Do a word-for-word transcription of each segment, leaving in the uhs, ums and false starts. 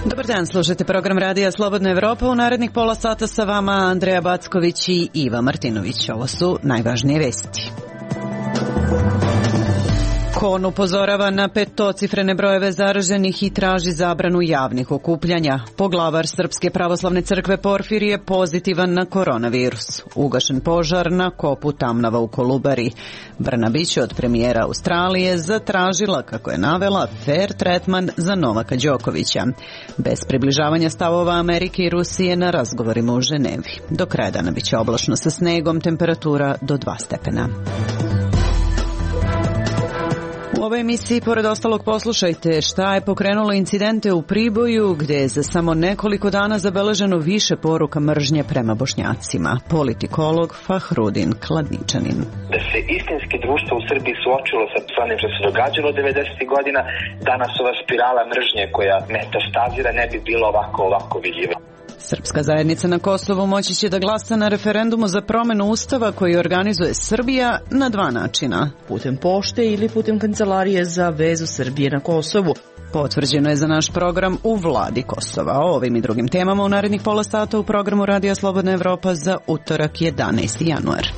Dobar dan, slušajte program Radija Slobodna Evropa. U narednih pola sata sa vama Andreja Backović i Iva Martinović. Ovo su najvažnije vesti. Kon upozorava na petocifrene brojeve zaraženih i traži zabranu javnih okupljanja. Poglavar Srpske pravoslavne crkve Porfirije pozitivan na koronavirus. Ugašen požar na kopu Tamnava u Kolubari. Brnabić od premijera Australije zatražila, kako je navela, fair tretman za Novaka Đokovića. Bez približavanja stavova Amerike i Rusije na razgovorima u Ženevi. Do kraja dana biće oblačno sa snegom, temperatura do dva stepena. U ovoj emisiji, pored ostalog, poslušajte šta je pokrenulo incidente u Priboju, gde je za samo nekoliko dana zabeleženo više poruka mržnje prema Bošnjacima. Politikolog Fahrudin Kladničanin. Da se istinski društvo u Srbiji suočilo sa onim što se događalo devedesetih godina, danas ova spirala mržnje koja metastazira ne bi bilo ovako, ovako vidljiva. Srpska zajednica na Kosovu moći će da glasa na referendumu za promenu ustava koji organizuje Srbija na dva načina. Putem pošte ili putem Kancelarije za vezu Srbije na Kosovu. Potvrđeno je za naš program u vladi Kosova. O ovim i drugim temama u narednih pola sata u programu Radija Slobodna Evropa za utorak jedanaesti januar.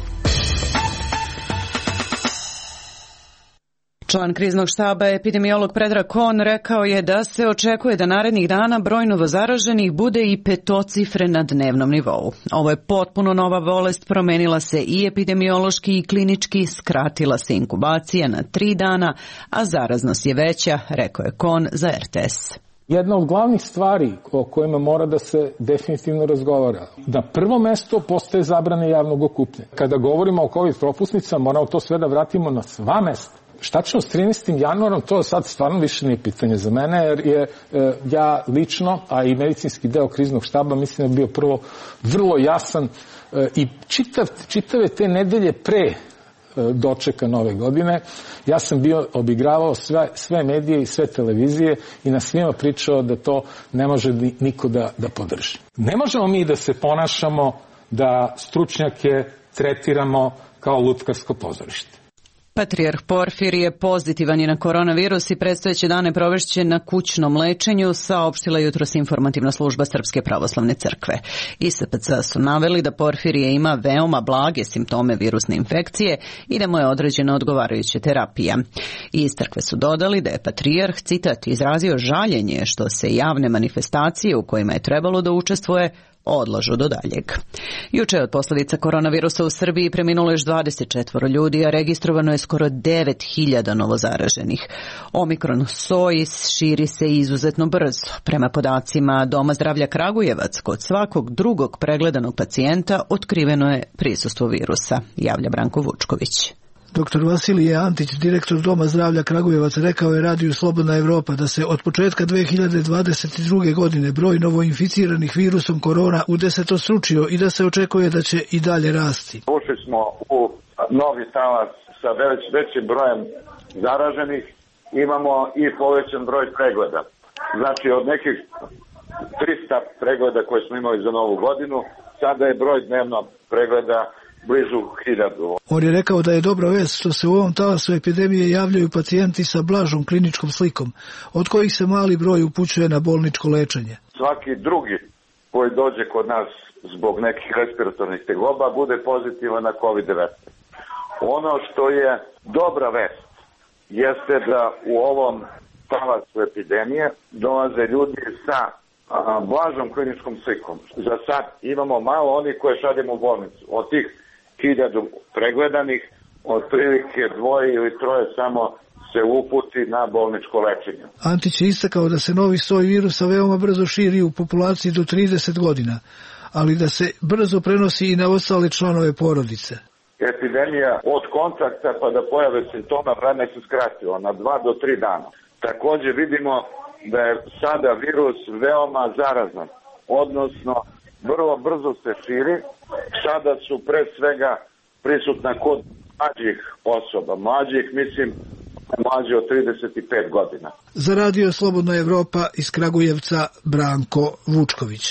Član kriznog štaba, epidemiolog Predrag Kon, rekao je da se očekuje da narednih dana broj novozaraženih bude i petocifren na dnevnom nivou. Ovo je potpuno nova bolest, promenila se i epidemiološki i klinički, skratila se inkubacija na tri dana, a zaraznost je veća, rekao je Kon za er te es. Jedna od glavnih stvari o kojima mora da se definitivno razgovara. Na prvo mesto postaje zabrane javnog okupljanja. Kada govorimo o COVID propusnicama, moramo to sve da vratimo na sva mesta. Šta ćemo s trinaestim januarom, to sad stvarno više nije pitanje za mene, jer je e, ja lično, a i medicinski deo kriznog štaba, mislim da je bio prvo vrlo jasan e, i čitav, čitave te nedelje pre e, dočeka nove godine, ja sam bio obigravao sve, sve medije i sve televizije i na svima pričao da to ne može niko da, da podrži. Ne možemo mi da se ponašamo da stručnjake tretiramo kao lutkarsko pozorište. Patrijarh Porfirije pozitivan je na koronavirus i predstojeće dane provešće na kućnom lečenju, saopštila jutros informativna služba Srpske pravoslavne crkve. I S P C su naveli da Porfirije ima veoma blage simptome virusne infekcije i da mu je određena odgovarajuća terapija. I iz crkve su dodali da je patrijarh, citat, izrazio žaljenje što se javne manifestacije u kojima je trebalo da učestvuje odlažu do daljeg. Juče je od posljedica koronavirusa u Srbiji preminulo još dvadeset četvoro ljudi, a registrovano je skoro devet hiljada novozaraženih. Omikron soj širi se izuzetno brzo. Prema podacima Doma zdravlja Kragujevac, kod svakog drugog pregledanog pacijenta otkriveno je prisustvo virusa, javlja Branko Vučković. Doktor Vasilije Antić, direktor Doma zdravlja Kragujevac, rekao je Radiju Slobodna Evropa da se od početka dve hiljade dvadeset druge. godine broj novoinficiranih virusom korona udesetostručio i da se očekuje da će i dalje rasti. Ušli smo u novi talas sa već većim brojem zaraženih, imamo i povećan broj pregleda. Znači od nekih trista pregleda koje smo imali za novu godinu, sada je broj dnevno pregleda blizu hiljadu. On je rekao da je dobra vest što se u ovom talasu epidemije javljaju pacijenti sa blažom kliničkom slikom, od kojih se mali broj upućuje na bolničko lečenje. Svaki drugi koji dođe kod nas zbog nekih respiratornih tegoba bude pozitivan na kovid devetnaest. Ono što je dobra vest jeste da u ovom talasu epidemije dolaze ljudi sa a, blažom kliničkom slikom. Za sad imamo malo onih koje šaljemo u bolnicu. Od tih hiljadu pregledanih, otprilike dvoje ili troje samo se uputi na bolničko lečenje. Antić je istakao da se novi soj virusa veoma brzo širi u populaciji do trideset godina, ali da se brzo prenosi i na ostale članove porodice. Epidemija od kontakta pa da pojave simptoma vreme se skratilo na dva do tri dana. Također vidimo da je sada virus veoma zarazan, odnosno vrlo brzo se širi. Sada su pre svega prisutna kod mlađih osoba. Mlađih, mislim, mlađi od trideset pet godina. Za Radio Slobodna Evropa iz Kragujevca Branko Vučković.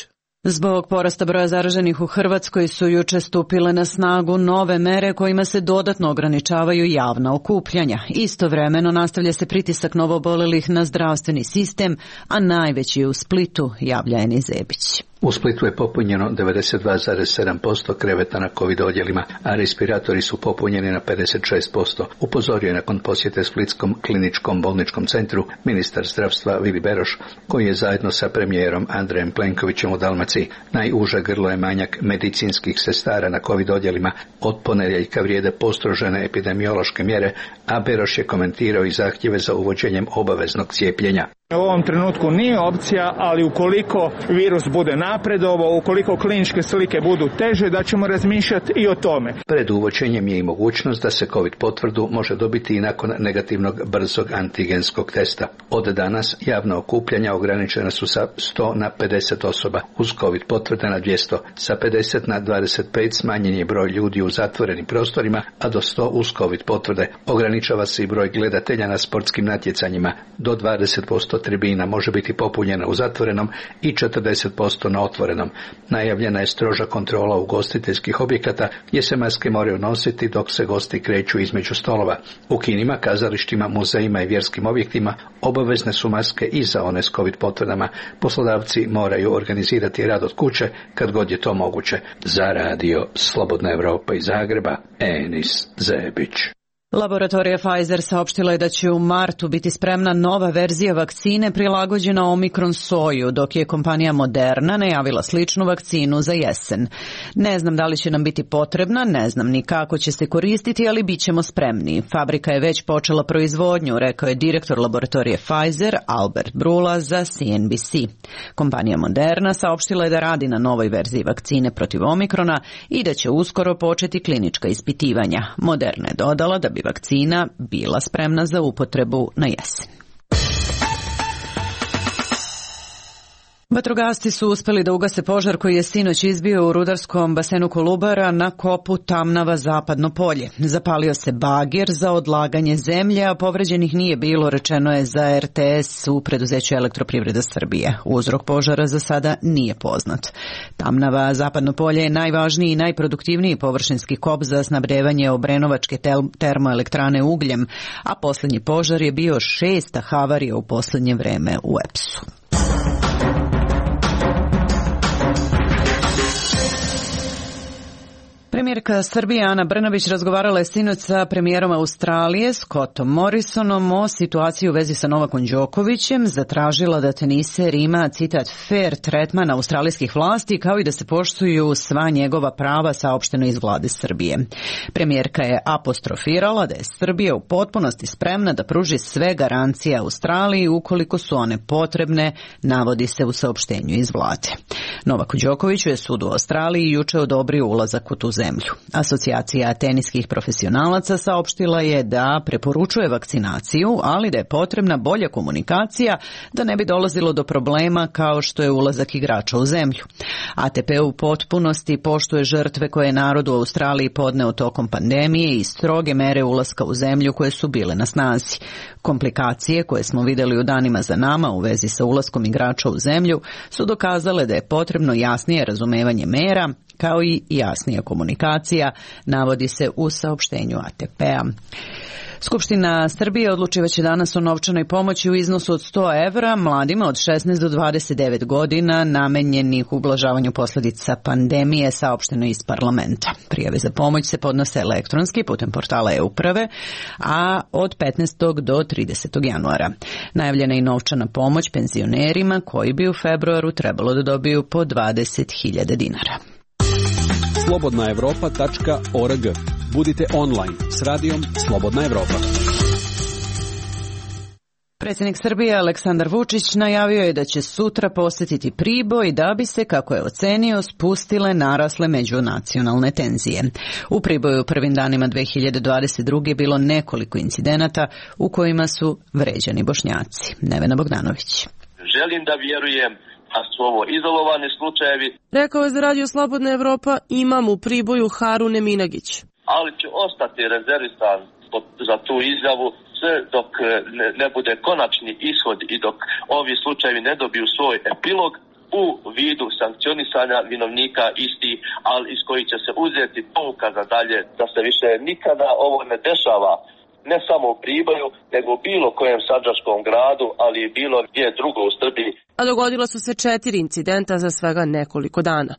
Zbog porasta broja zaraženih u Hrvatskoj su juče stupile na snagu nove mere kojima se dodatno ograničavaju javna okupljanja. Istovremeno nastavlja se pritisak novoobolelih na zdravstveni sistem, a najveći je u Splitu, javlja Eni Zebić. U Splitu je popunjeno devedeset dva zarez sedam posto kreveta na COVID odjelima, a respiratori su popunjeni na pedeset šest posto. Upozorio je nakon posjete Splitskom kliničkom bolničkom centru ministar zdravstva Vili Beroš, koji je zajedno sa premijerom Andrejem Plenkovićem u Dalmaciji. Najuže grlo je manjak medicinskih sestara na COVID odjelima. Od ponedjeljka vrijede postrožene epidemiološke mjere, a Beroš je komentirao i zahtjeve za uvođenjem obaveznog cijepljenja. U ovom trenutku nije opcija, ali ukoliko virus bude napredovao, ukoliko kliničke slike budu teže, da ćemo razmišljati i o tome. Pred uvođenjem je i mogućnost da se COVID potvrdu može dobiti i nakon negativnog brzog antigenskog testa. Od danas javna okupljanja ograničena su sa sto na pedeset osoba, uz COVID potvrde na dvjesto. Sa pedeset na dvadeset pet smanjen je broj ljudi u zatvorenim prostorima, a do sto uz COVID potvrde. Ograničava se i broj gledatelja na sportskim natjecanjima. Do dvadeset posto tribina može biti popunjena u zatvorenom i četrdeset posto na otvorenom. Najavljena je stroža kontrola ugostiteljskih objekata gdje se maske moraju nositi dok se gosti kreću između stolova. U kinima, kazalištima, muzejima i vjerskim objektima obavezne su maske i za one s COVID potvrdama. Poslodavci moraju organizirati rad od kuće kad god je to moguće. Za radio Slobodna Evropa iz Zagreba, Enis Zebić. Laboratorija Pfizer saopštila je da će u martu biti spremna nova verzija vakcine prilagođena Omikron soju, dok je kompanija Moderna najavila sličnu vakcinu za jesen. Ne znam da li će nam biti potrebna, ne znam ni kako će se koristiti, ali bit ćemo spremni. Fabrika je već počela proizvodnju, rekao je direktor laboratorije Pfizer, Albert Brula, za C N B C. Kompanija Moderna saopštila je da radi na novoj verziji vakcine protiv Omikrona i da će uskoro početi klinička ispitivanja. Moderna je dodala da bi vakcina bila spremna za upotrebu na jesen. Vatrogasci su uspeli da ugase požar koji je sinoć izbio u rudarskom basenu Kolubara na kopu Tamnava Zapadno polje. Zapalio se bager za odlaganje zemlje, a povređenih nije bilo, rečeno je za R T S u preduzeću Elektroprivreda Srbije. Uzrok požara za sada nije poznat. Tamnava Zapadno polje je najvažniji i najproduktivniji površinski kop za snabdevanje Obrenovačke termoelektrane ugljem, a posljednji požar je bio šesta havarija u posljednje vreme u E P S-u. Premijerka Srbije Ana Brnabić razgovarala je sinoć sa premijerom Australije Scottom Morrisonom o situaciji u vezi sa Novakom Đokovićem, zatražila da teniser ima, citat, fair tretman australijskih vlasti kao i da se poštuju sva njegova prava, saopšteno iz vlade Srbije. Premijerka je apostrofirala da je Srbija u potpunosti spremna da pruži sve garancije Australiji ukoliko su one potrebne, navodi se u saopštenju iz vlade. Novaku Đokoviću je sud u Australiji juče odobrio ulazak u tu zemlju. Asocijacija teniskih profesionalaca saopštila je da preporučuje vakcinaciju, ali da je potrebna bolja komunikacija da ne bi dolazilo do problema kao što je ulazak igrača u zemlju. A T P u potpunosti poštuje žrtve koje je narod u Australiji podneo tokom pandemije i stroge mere ulaska u zemlju koje su bile na snazi. Komplikacije koje smo vidjeli u danima za nama u vezi sa ulaskom igrača u zemlju su dokazale da je potrebno jasnije razumevanje mera kao i jasnija komunikacija, navodi se u saopštenju A T P-a. Skupština Srbije odlučivaće danas o novčanoj pomoći u iznosu od sto evra mladima od šesnaest do dvadeset devet godina namenjenih ublažavanju posljedica pandemije, saopšteno iz parlamenta. Prijave za pomoć se podnose elektronski putem portala e-uprave, a od petnaestog do tridesetog januara. Najavljena je i novčana pomoć penzionerima koji bi u februaru trebalo da dobiju po dvadeset hiljada dinara. slobodna evropa tačka org. Budite online s radijom Slobodna Evropa. Predsjednik Srbije Aleksandar Vučić najavio je da će sutra posjetiti Priboj da bi se, kako je ocenio, spustile narasle međunacionalne tenzije. U Priboju u prvim danima dve hiljade dvadeset druge bilo nekoliko incidenata u kojima su vređani Bošnjaci. Nevena Bogdanović. Želim da vjerujem da su ovo izolovani slučajevi. Rekao je za radio Slobodna Evropa imam u Priboju Harune Minagić. Ali će ostati rezervisan za tu izjavu sve dok ne, ne bude konačni ishod i dok ovi slučajevi ne dobiju svoj epilog, u vidu sankcionisanja vinovnika istih, ali iz koji će se uzeti pouka za dalje, da se više nikada ovo ne dešava, ne samo u Priboju, nego u bilo kojem sandžačkom gradu, ali i bilo gdje drugo u Srbiji. A dogodila su se četiri incidenta za svega nekoliko dana.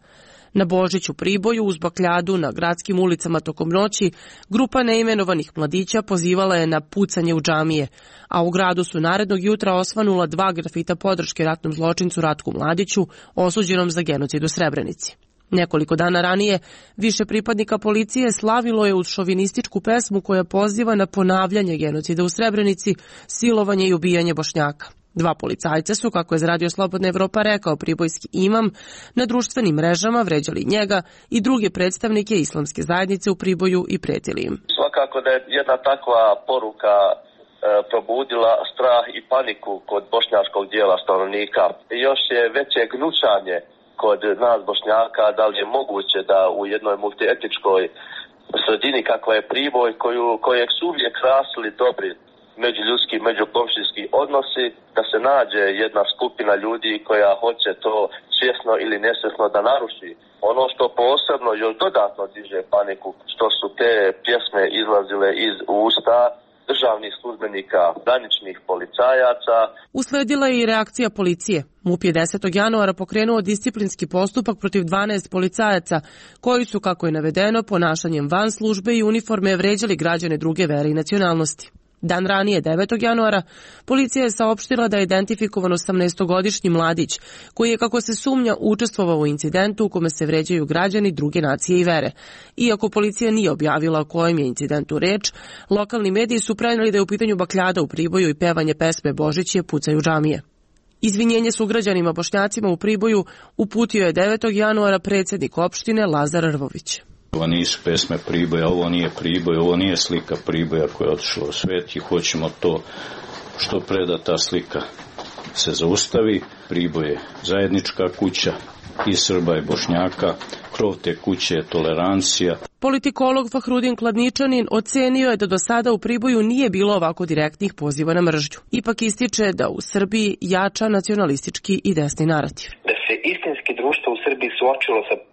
Na Božić u Priboju uz bakljadu na gradskim ulicama tokom noći grupa neimenovanih mladića pozivala je na pucanje u džamije, a u gradu su narednog jutra osvanula dva grafita podrške ratnom zločincu Ratku Mladiću, osuđenom za genocid u Srebrenici. Nekoliko dana ranije više pripadnika policije slavilo je uz šovinističku pesmu koja poziva na ponavljanje genocida u Srebrenici, silovanje i ubijanje Bošnjaka. Dva policajca su, kako je za Radio Slobodna Evropa rekao pribojski imam, na društvenim mrežama vređali njega i druge predstavnike islamske zajednice u Priboju i pretili im. Svakako da je jedna takva poruka e, probudila strah i paniku kod bošnjačkog dijela stanovnika. Još je veće gnušanje kod nas Bošnjaka, da li je moguće da u jednoj multietničkoj sredini kakva je Priboj, koju, kojeg su uvijek krasili dobri međuljudski, međukomšijski odnosi, da se nađe jedna skupina ljudi koja hoće to svjesno ili nesvjesno da naruši. Ono što posebno još dodatno diže paniku, što su te pjesme izlazile iz usta državnih službenika, graničnih policajaca. Usledila je i reakcija policije. MUP je desetog januara pokrenuo disciplinski postupak protiv dvanaest policajaca, koji su, kako je navedeno, ponašanjem van službe i uniforme vređali građane druge vere i nacionalnosti. Dan ranije, devetog januara, policija je saopštila da je identifikovan osamnaestogodišnji mladić, koji je, kako se sumnja, učestvovao u incidentu u kome se vređaju građani druge nacije i vere. Iako policija nije objavila o kojem je incidentu reč, lokalni mediji su preneli da je u pitanju bakljada u Priboju i pevanje pesme Božić pucaju džamije. Izvinjenje sugrađanima Bošnjacima u Priboju uputio je devetog januara predsjednik opštine Lazar Rvović. Ovo nisu pesme Priboja, ovo nije Priboj, ovo nije slika Priboja koja je otišla u svet i hoćemo to što pre da ta slika se zaustavi. Priboj je zajednička kuća i Srba i Bošnjaka, krov te kuće je tolerancija. Politikolog Fahrudin Kladničanin ocenio je da do sada u Priboju nije bilo ovako direktnih poziva na mržnju. Ipak ističe da u Srbiji jača nacionalistički i desni narativ. Da se istinski društvo u Srbiji suočilo sa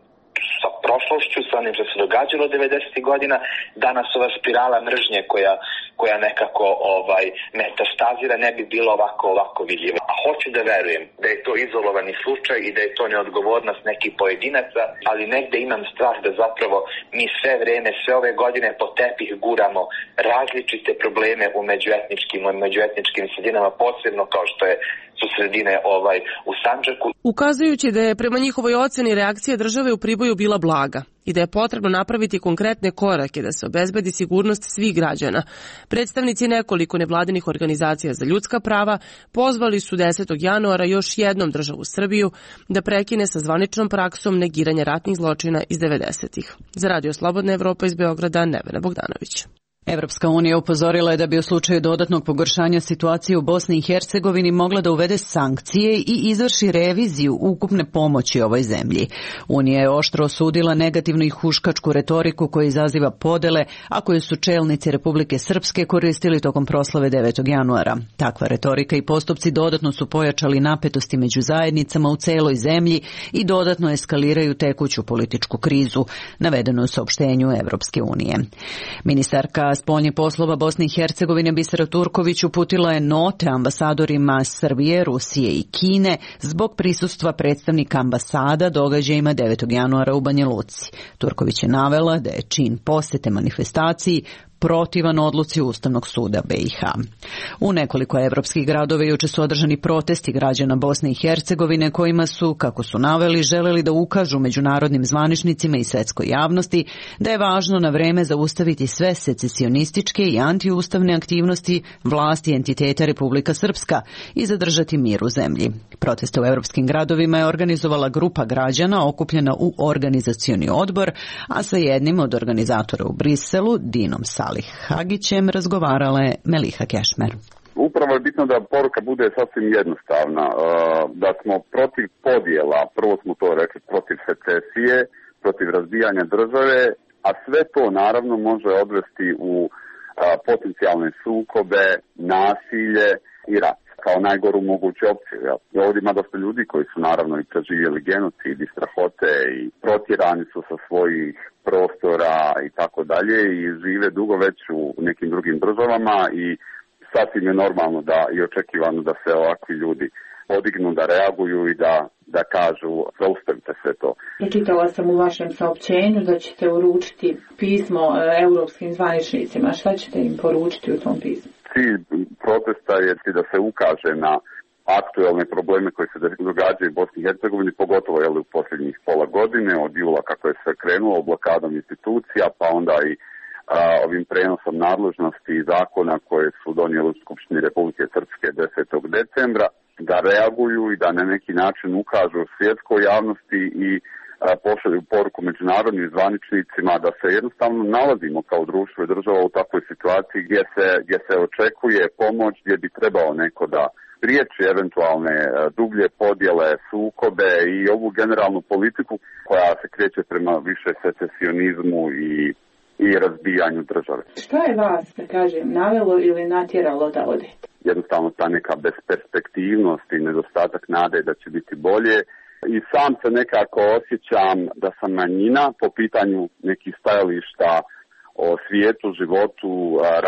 sa prošlošću, sa onim što se događalo devedesetih godina, danas ova spirala mržnje koja, koja nekako ovaj, metastazira ne bi bilo ovako, ovako vidljiva. A hoću da verujem da je to izolovani slučaj i da je to neodgovornost nekih pojedinaca, ali negde imam strah da zapravo mi sve vreme, sve ove godine po tepih guramo različite probleme u međuetničkim, u međuetničkim sredinama, posebno kao što je su sredine ovaj, u Sandžaku. Ukazujući da je prema njihovoj oceni reakcija države u Priboju bila blaga i da je potrebno napraviti konkretne korake da se obezbedi sigurnost svih građana, predstavnici nekoliko nevladinih organizacija za ljudska prava pozvali su desetog januara još jednom državu Srbiju da prekine sa zvaničnom praksom negiranja ratnih zločina iz devedesetih. Za Radio Slobodna Evropa iz Beograda, Nevena Bogdanović. Evropska unija upozorila je da bi u slučaju dodatnog pogoršanja situacije u Bosni i Hercegovini mogla da uvede sankcije i izvrši reviziju ukupne pomoći ovoj zemlji. Unija je oštro osudila negativnu i huškačku retoriku koja izaziva podele, a koju su čelnici Republike Srpske koristili tokom proslave devetog januara. Takva retorika i postupci dodatno su pojačali napetosti među zajednicama u celoj zemlji i dodatno eskaliraju tekuću političku krizu, navedeno u saopštenju Evropske unije. Ministarka spoljnih poslova Bosne i Hercegovine Bisera Turković uputila je note ambasadorima Srbije, Rusije i Kine zbog prisustva predstavnika ambasada događajima devetog januara u Banja Luci. Turković je navela da je čin posete manifestaciji protivan odluci Ustavnog suda B i H. U nekoliko evropskih gradova juče su održani protesti građana Bosne i Hercegovine kojima su, kako su naveli, želeli da ukažu međunarodnim zvaničnicima i svetskoj javnosti da je važno na vreme zaustaviti sve secesionističke i antiustavne aktivnosti vlasti entiteta Republika Srpska i zadržati mir u zemlji. Proteste u evropskim gradovima je organizovala grupa građana okupljena u organizacioni odbor, a sa jednim od organizatora u Briselu, Dinom Sa Ali Hagićem, razgovarala je Meliha Kešmer. Upravo je bitno da poruka bude sasvim jednostavna, da smo protiv podjela, prvo smo to rekli, protiv secesije, protiv razbijanja države, a sve to naravno može odvesti u potencijalne sukobe, nasilje i rat. kao najgoru moguću opciju. Jel? I ovdje ima dosta ljudi koji su naravno i preživjeli genocid i strahote i protjerani su sa svojih prostora i tako dalje i žive dugo već u nekim drugim državama i sasvim je normalno da i očekivano da se ovakvi ljudi podignu, da reaguju i da, da kažu zaustavite sve to. Pročitala sam u vašem saopćenju da ćete uručiti pismo europskim zvaničnicima. Šta ćete im poručiti u tom pismu? Cilj protesta je da se ukaže na aktuelne probleme koje se događaju u Bosni i Hercegovini, pogotovo jel, u posljednjih pola godine, od jula kako je sve krenulo, blokadom institucija, pa onda i a, ovim prenosom nadležnosti i zakona koje su donijeli u Skupštini Republike Srpske desetog decembra, da reaguju i da na neki način ukažu svjetskoj javnosti i a, pošalju poruku međunarodnim zvaničnicima da se jednostavno nalazimo kao društvo i država u takvoj situaciji gdje se, gdje se očekuje pomoć, gdje bi trebao neko da priječi eventualne dublje podjele, sukobe i ovu generalnu politiku koja se kreće prema više secesionizmu i, i razbijanju države. Šta je vas, da kažem, navelo ili natjeralo da odete? Jednostavno ta neka besperspektivnost i nedostatak nade da će biti bolje. I sam se nekako osjećam da sam manjina po pitanju nekih stajališta o svijetu, životu,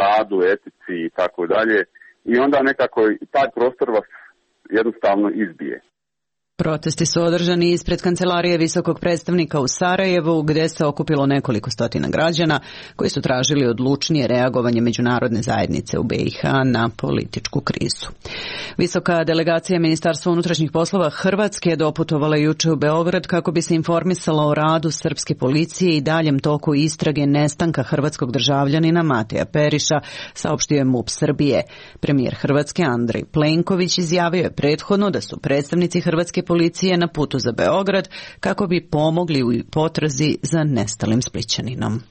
radu, etici i tako dalje. I onda nekako taj prostor vas jednostavno izbije. Protesti su održani ispred kancelarije visokog predstavnika u Sarajevu, gdje se okupilo nekoliko stotina građana koji su tražili odlučnije reagovanje međunarodne zajednice u B i H na političku krizu. Visoka delegacija Ministarstva unutrašnjih poslova Hrvatske doputovala juče u Beograd kako bi se informisala o radu srpske policije i daljem toku istrage nestanka hrvatskog državljanina Mateja Periša, saopštio je MUP Srbije. Premijer Hrvatske Andrej Plenković izjavio je prethodno da su predstavnici Hrvatske policije na putu za Beograd kako bi pomogli u potrazi za nestalim Splićaninom.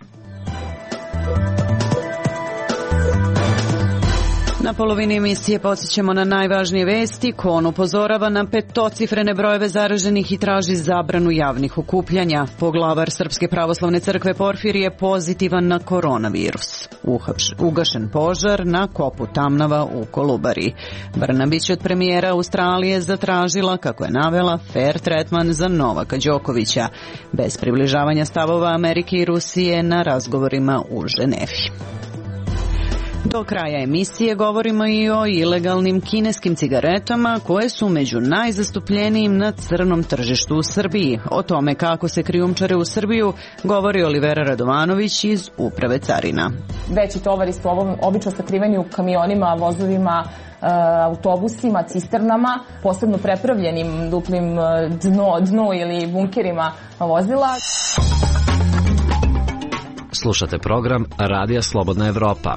Na polovini emisije podsjećamo na najvažnije vesti. Kon upozorava na petocifrene brojeve zaraženih i traži zabranu javnih okupljanja. Poglavar Srpske pravoslavne crkve Porfirije je pozitivan na koronavirus. Ugašen požar na kopu Tamnava u Kolubari. Brnabić od premijera Australije zatražila, kako je navela, fair tretman za Novaka Đokovića, bez približavanja stavova Amerike i Rusije na razgovorima u Ženevi. Do kraja emisije govorimo i o ilegalnim kineskim cigaretama koje su među najzastupljenijim na crnom tržištu u Srbiji. O tome kako se krijumčare u Srbiju govori Olivera Radovanović iz Uprave carina. Veći tovari su obično sakriveni u kamionima, vozovima, autobusima, cisternama, posebno prepravljenim duplim dno, dno ili bunkerima vozila. Slušate program Radija Slobodna Evropa.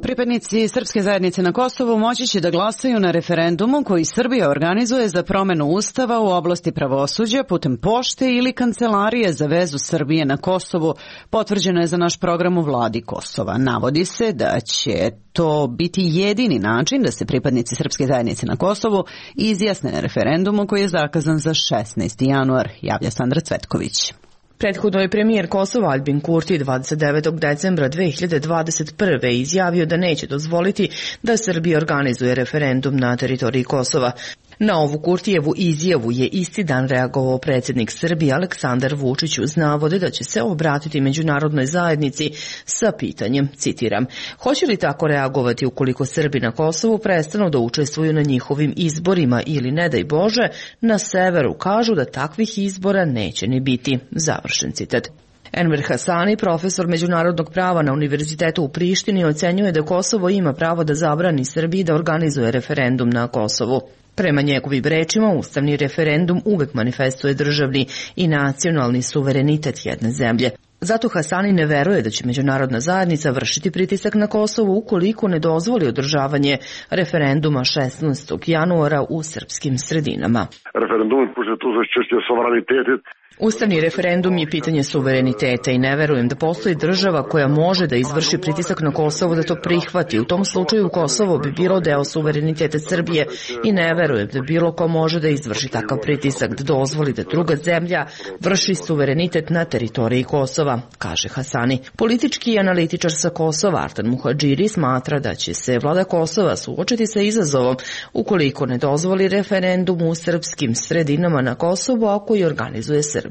Pripadnici srpske zajednice na Kosovu moći će da glasaju na referendumu koji Srbija organizuje za promenu ustava u oblasti pravosuđa putem pošte ili kancelarije za vezu Srbije na Kosovu. Potvrđeno je za naš program u vladi Kosova. Navodi se da će to biti jedini način da se pripadnici srpske zajednice na Kosovu izjasne na referendumu koji je zakazan za šesnaesti januar, javlja Sandra Cvetković. Prethodno je premijer Kosova Aljbin Kurti dvadeset devetog decembra dve hiljade dvadeset prve izjavio da neće dozvoliti da Srbija organizuje referendum na teritoriji Kosova. Na ovu Kurtijevu izjavu je isti dan reagovao predsjednik Srbije Aleksandar Vučić uz navode da će se obratiti međunarodnoj zajednici sa pitanjem, citiram, hoće li tako reagovati ukoliko Srbi na Kosovu prestanu da učestvuju na njihovim izborima ili, ne daj Bože, na severu kažu da takvih izbora neće ni biti, završen citat. Enver Hasani, profesor međunarodnog prava na Univerzitetu u Prištini, ocenjuje da Kosovo ima pravo da zabrani Srbiji da organizuje referendum na Kosovu. Prema njegovim rečima, ustavni referendum uvek manifestuje državni i nacionalni suverenitet jedne zemlje. Zato Hasani ne veruje da će međunarodna zajednica vršiti pritisak na Kosovo ukoliko ne dozvoli održavanje referenduma šesnaestog januara u srpskim sredinama. Referendum, pošto je to zaščešće suverenitetit Ustavni referendum je pitanje suvereniteta i ne verujem da postoji država koja može da izvrši pritisak na Kosovo da to prihvati. U tom slučaju Kosovo bi bilo deo suvereniteta Srbije i ne verujem da bilo ko može da izvrši takav pritisak, da dozvoli da druga zemlja vrši suverenitet na teritoriji Kosova, kaže Hasani. Politički analitičar sa Kosova Artan Muhadžiri smatra da će se vlada Kosova suočiti sa izazovom ukoliko ne dozvoli referendum u srpskim sredinama na Kosovu, a koji organizuje Srbija.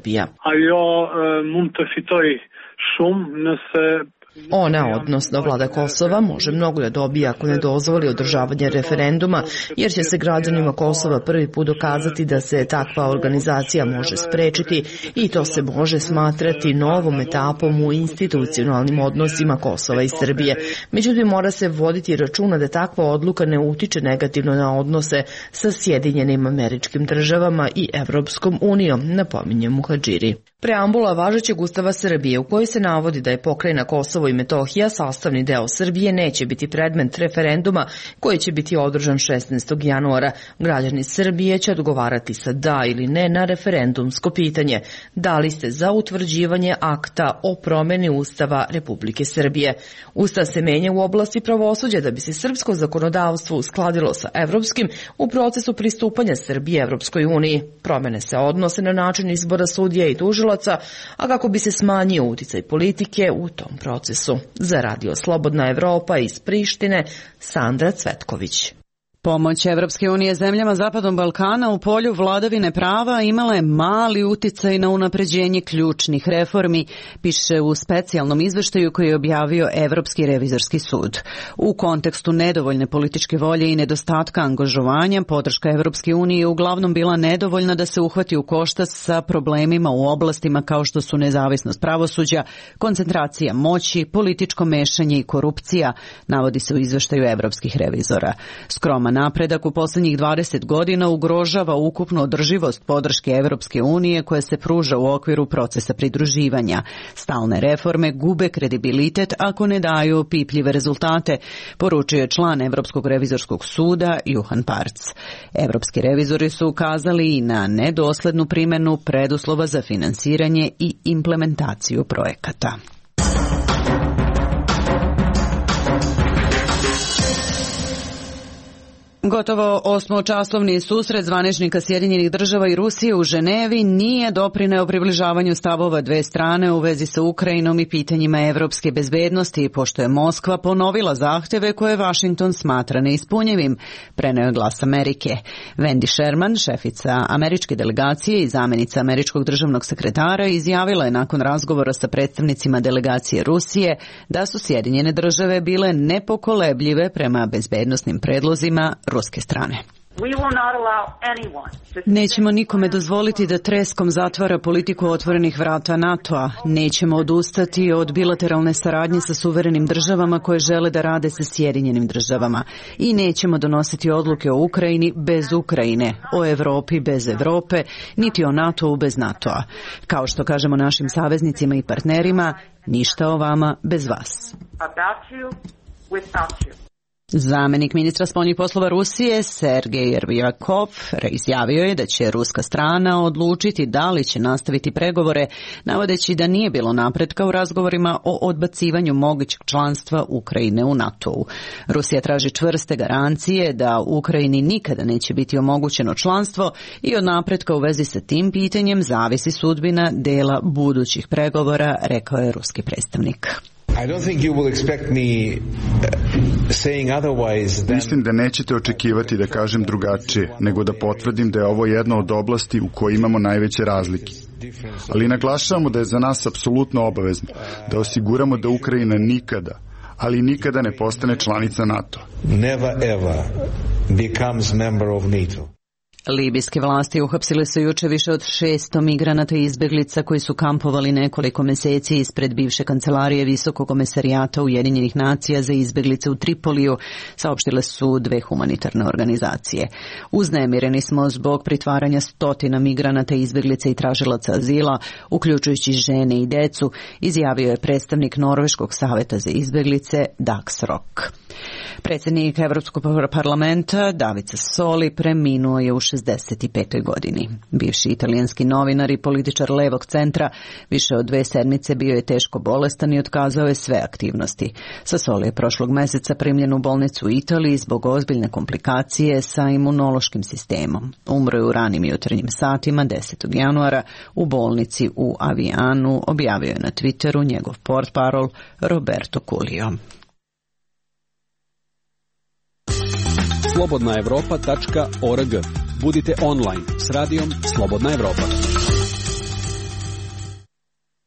Ajo mund të fitoj shumë nëse Ona, odnosno vlada Kosova, može mnogo da dobije ako ne dozvoli održavanje referenduma, jer će se građanima Kosova prvi put dokazati da se takva organizacija može sprečiti i to se može smatrati novom etapom u institucionalnim odnosima Kosova i Srbije. Međutim, mora se voditi računa da takva odluka ne utiče negativno na odnose sa Sjedinjenim Američkim Državama i Evropskom unijom, napominje Muhadžiri. Preambula važećeg Ustava Srbije u kojoj se navodi da je pokrajina Kosovo i Metohija sastavni deo Srbije neće biti predmet referenduma koji će biti održan šesnaestog januara. Građani Srbije će odgovarati sa da ili ne na referendumsko pitanje. Da li ste za utvrđivanje akta o promeni Ustava Republike Srbije? Ustav se menja u oblasti pravosuđa da bi se srpsko zakonodavstvo uskladilo sa evropskim u procesu pristupanja Srbije Evropskoj uniji. Promene se odnose na način izbora sudija i tužilaca, a kako bi se smanjio uticaj politike u tom procesu. Za Radio Slobodna Evropa iz Prištine, Sandra Cvetković. Pomoć Evropske unije zemljama Zapadnog Balkana u polju vladavine prava imala je mali uticaj na unapređenje ključnih reformi, piše u specijalnom izveštaju koji je objavio Evropski revizorski sud. U kontekstu nedovoljne političke volje i nedostatka angažovanja, podrška Evropske unije je uglavnom bila nedovoljna da se uhvati u koštac sa problemima u oblastima kao što su nezavisnost pravosuđa, koncentracija moći, političko mešanje i korupcija, navodi se u izveštaju evropskih revizora. Skroman napredak u poslednjih dvadeset godina ugrožava ukupnu održivost podrške Evropske unije koja se pruža u okviru procesa pridruživanja. Stalne reforme gube kredibilitet ako ne daju opipljive rezultate, poručuje član Evropskog revizorskog suda Juhan Parc. Evropski revizori su ukazali i na nedoslednu primenu preduslova za finansiranje i implementaciju projekata. Gotovo osmočasovni susret zvaničnika Sjedinjenih država i Rusije u Ženevi nije doprineo približavanju stavova dve strane u vezi sa Ukrajinom i pitanjima evropske bezbednosti, pošto je Moskva ponovila zahteve koje Vašington smatra neispunjivim, preneo je Glas Amerike. Wendy Sherman, šefica američke delegacije i zamenica američkog državnog sekretara, izjavila je nakon razgovora sa predstavnicima delegacije Rusije da su Sjedinjene države bile nepokolebljive prema bezbednosnim predlozima ruske strane. Nećemo nikome dozvoliti da treskom zatvara politiku otvorenih vrata NATO-a. Nećemo odustati od bilateralne saradnje sa suverenim državama koje žele da rade sa Sjedinjenim državama. I nećemo donositi odluke o Ukrajini bez Ukrajine, o Evropi bez Evrope, niti o NATO-u bez NATO-a. Kao što kažemo našim saveznicima i partnerima, ništa o vama bez vas. Zamenik ministra spoljnih poslova Rusije Sergej Ryabkov izjavio je da će ruska strana odlučiti da li će nastaviti pregovore, navodeći da nije bilo napretka u razgovorima o odbacivanju mogućeg članstva Ukrajine u NATO-u. Rusija traži čvrste garancije da Ukrajini nikada neće biti omogućeno članstvo i od napretka u vezi sa tim pitanjem zavisi sudbina dela budućih pregovora, rekao je ruski predstavnik. Mislim da nećete očekivati da kažem drugačije, nego da potvrdim da je ovo jedna od oblasti u kojoj imamo najveće razlike. Ali naglašavamo da je za nas apsolutno obavezno da osiguramo da Ukrajina nikada, ali nikada ne postane članica NATO. Never ever becomes member of NATO. Libijske vlasti uhapsile su juče više od šesto migranata i izbeglica koji su kampovali nekoliko meseci ispred bivše kancelarije Visokog komesarijata Ujedinjenih nacija za izbeglice u Tripoliju, saopštile su dve humanitarne organizacije. Uznemireni smo zbog pritvaranja stotina migranata, izbeglica i tražilaca azila, uključujući žene i decu, izjavio je predstavnik Norveškog saveta za izbeglice Dax Rock. Predsjednik Evropskog parlamenta David Sassoli preminuo je u šezdeset petoj godini. Bivši italijanski novinar i političar levog centra više od dve sedmice bio je teško bolestan i otkazao je sve aktivnosti. Sasoli je prošlog meseca primljen u bolnicu u Italiji zbog ozbiljne komplikacije sa imunološkim sistemom. Umro je u ranim jutarnjim satima desetog januara u bolnici u Avianu, objavio je na Twitteru njegov portparol Roberto Culio. slobodna evropa tačka org. Budite online s radijom Slobodna Evropa.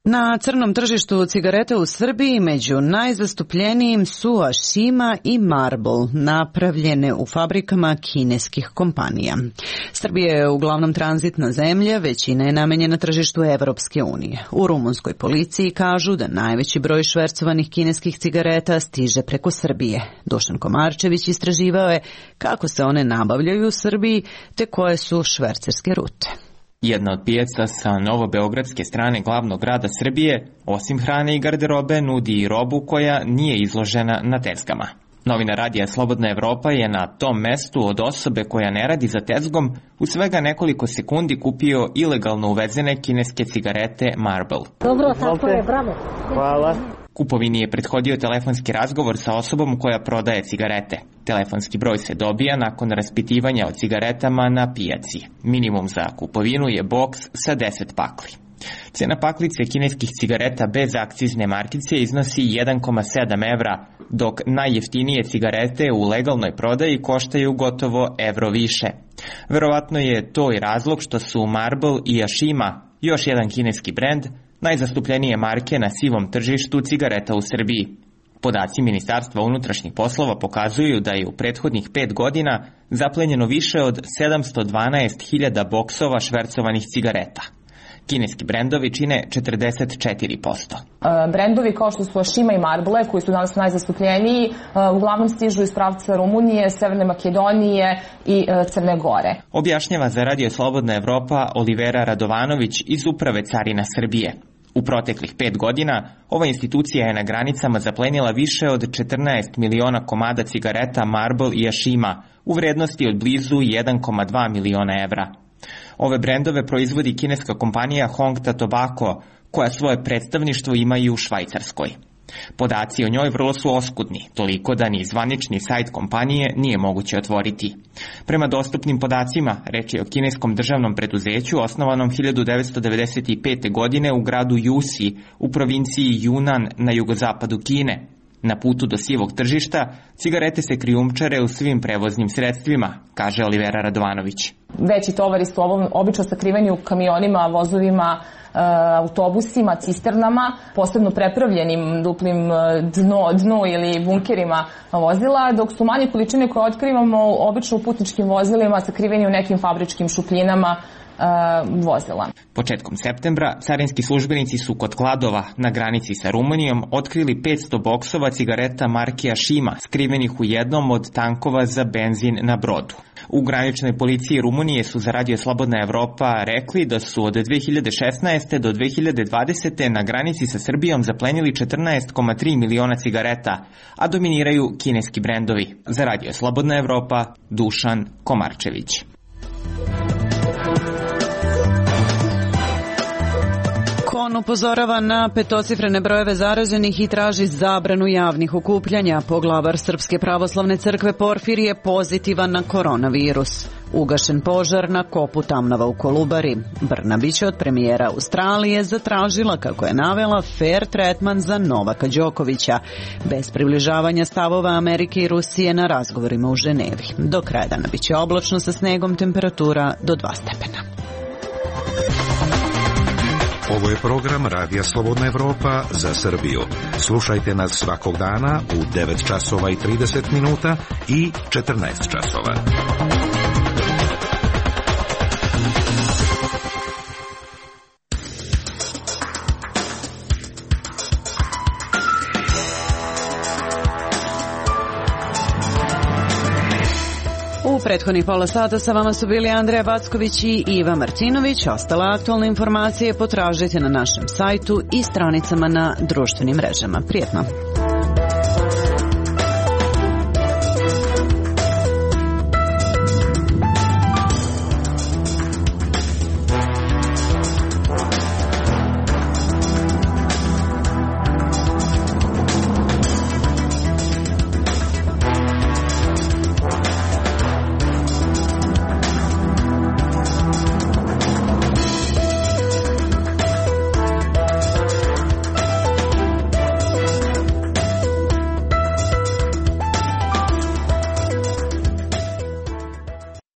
Na crnom tržištu cigarete u Srbiji među najzastupljenijim su Ashima i Marlboro, napravljene u fabrikama kineskih kompanija. Srbija je uglavnom tranzitna zemlja, većina je namenjena tržištu Evropske unije. U rumunskoj policiji kažu da najveći broj švercovanih kineskih cigareta stiže preko Srbije. Dušan Komarčević istraživao je kako se one nabavljaju u Srbiji te koje su švercerske rute. Jedna od pijaca sa novobeogradske strane glavnog grada Srbije, osim hrane i garderobe, nudi i robu koja nije izložena na tezgama. Novina radija Slobodna Evropa je na tom mestu od osobe koja ne radi za tezgom u svega nekoliko sekundi kupio ilegalno uvezene kineske cigarete Marlboro. Dobro, tako je, bravo. Hvala. Kupovini je prethodio telefonski razgovor sa osobom koja prodaje cigarete. Telefonski broj se dobija nakon raspitivanja o cigaretama na pijaci. Minimum za kupovinu je boks sa deset pakli. Cena paklice kineskih cigareta bez akcizne markice iznosi jedan zarez sedam evra, dok najjeftinije cigarete u legalnoj prodaji koštaju gotovo evro više. Verovatno je to i razlog što su Marlboro i Ashima, još jedan kineski brend, najzastupljenije marke na sivom tržištu cigareta u Srbiji. Podaci Ministarstva unutrašnjih poslova pokazuju da je u prethodnih pet godina zaplenjeno više od sedamsto dvanaest hiljada boksova švercovanih cigareta. Kineski brendovi čine četrdeset četiri posto. Brendovi kao što su Ashima i Marlboro, koji su danas najzastupljeniji, uglavnom stižu iz pravca Rumunije, Severne Makedonije i Crne Gore. Objašnjava za Radio Slobodna Evropa Olivera Radovanović iz Uprave carina Srbije. U proteklih pet godina ova institucija je na granicama zaplenila više od četrnaest miliona komada cigareta Marlboro i Ashima u vrednosti od blizu jedan zarez dva miliona evra. Ove brendove proizvodi kineska kompanija Hongta Tobacco, koja svoje predstavništvo ima i u Švajcarskoj. Podaci o njoj vrlo su oskudni, toliko da ni zvanični sajt kompanije nije moguće otvoriti. Prema dostupnim podacima, reč je o kineskom državnom preduzeću osnovanom hiljadu devetsto devedeset pete. godine u gradu Jusi u provinciji Junan na jugozapadu Kine. Na putu do sivog tržišta, cigarete se krijumčare u svim prevoznim sredstvima, kaže Olivera Radovanović. Veći tovari su obično sakriveni u kamionima, vozovima, autobusima, cisternama, posebno prepravljenim duplim dno, dno ili bunkerima vozila, dok su manje količine koje otkrivamo obično u putničkim vozilima sakriveni u nekim fabričkim šupljinama vozila. Početkom septembra carinski službenici su kod Kladova na granici sa Rumunijom otkrili petsto boksova cigareta marke Ashima skrivenih u jednom od tankova za benzin na brodu. U graničnoj policiji Rumunije su za Radio Slobodna Evropa rekli da su od dve hiljade šesnaeste. do dve hiljade dvadesete. na granici sa Srbijom zaplenili četrnaest zarez tri miliona cigareta, a dominiraju kineski brendovi. Za Radio Slobodna Evropa, Dušan Komarčević. On upozorava na petocifrene brojeve zaraženih i traži zabranu javnih okupljanja. Poglavar Srpske pravoslavne crkve Porfir je pozitivan na koronavirus. Ugašen požar na kopu Tamnava u Kolubari. Brnabić od premijera Australije zatražila, kako je navela, fair tretman za Novaka Đokovića, bez približavanja stavova Amerike i Rusije na razgovorima u Ženevi. Do kraja dana biće oblačno sa snegom, temperatura do dva stepena. Ovo je program Radija Slobodna Evropa za Srbiju. Slušajte nas svakog dana u devet časova i trideset minuta i četrnaest časova. U prethodnih pola sata sa vama su bili Andreja Backović i Iva Martinović. Ostale aktualne informacije potražite na našem sajtu i stranicama na društvenim mrežama. Prijetno!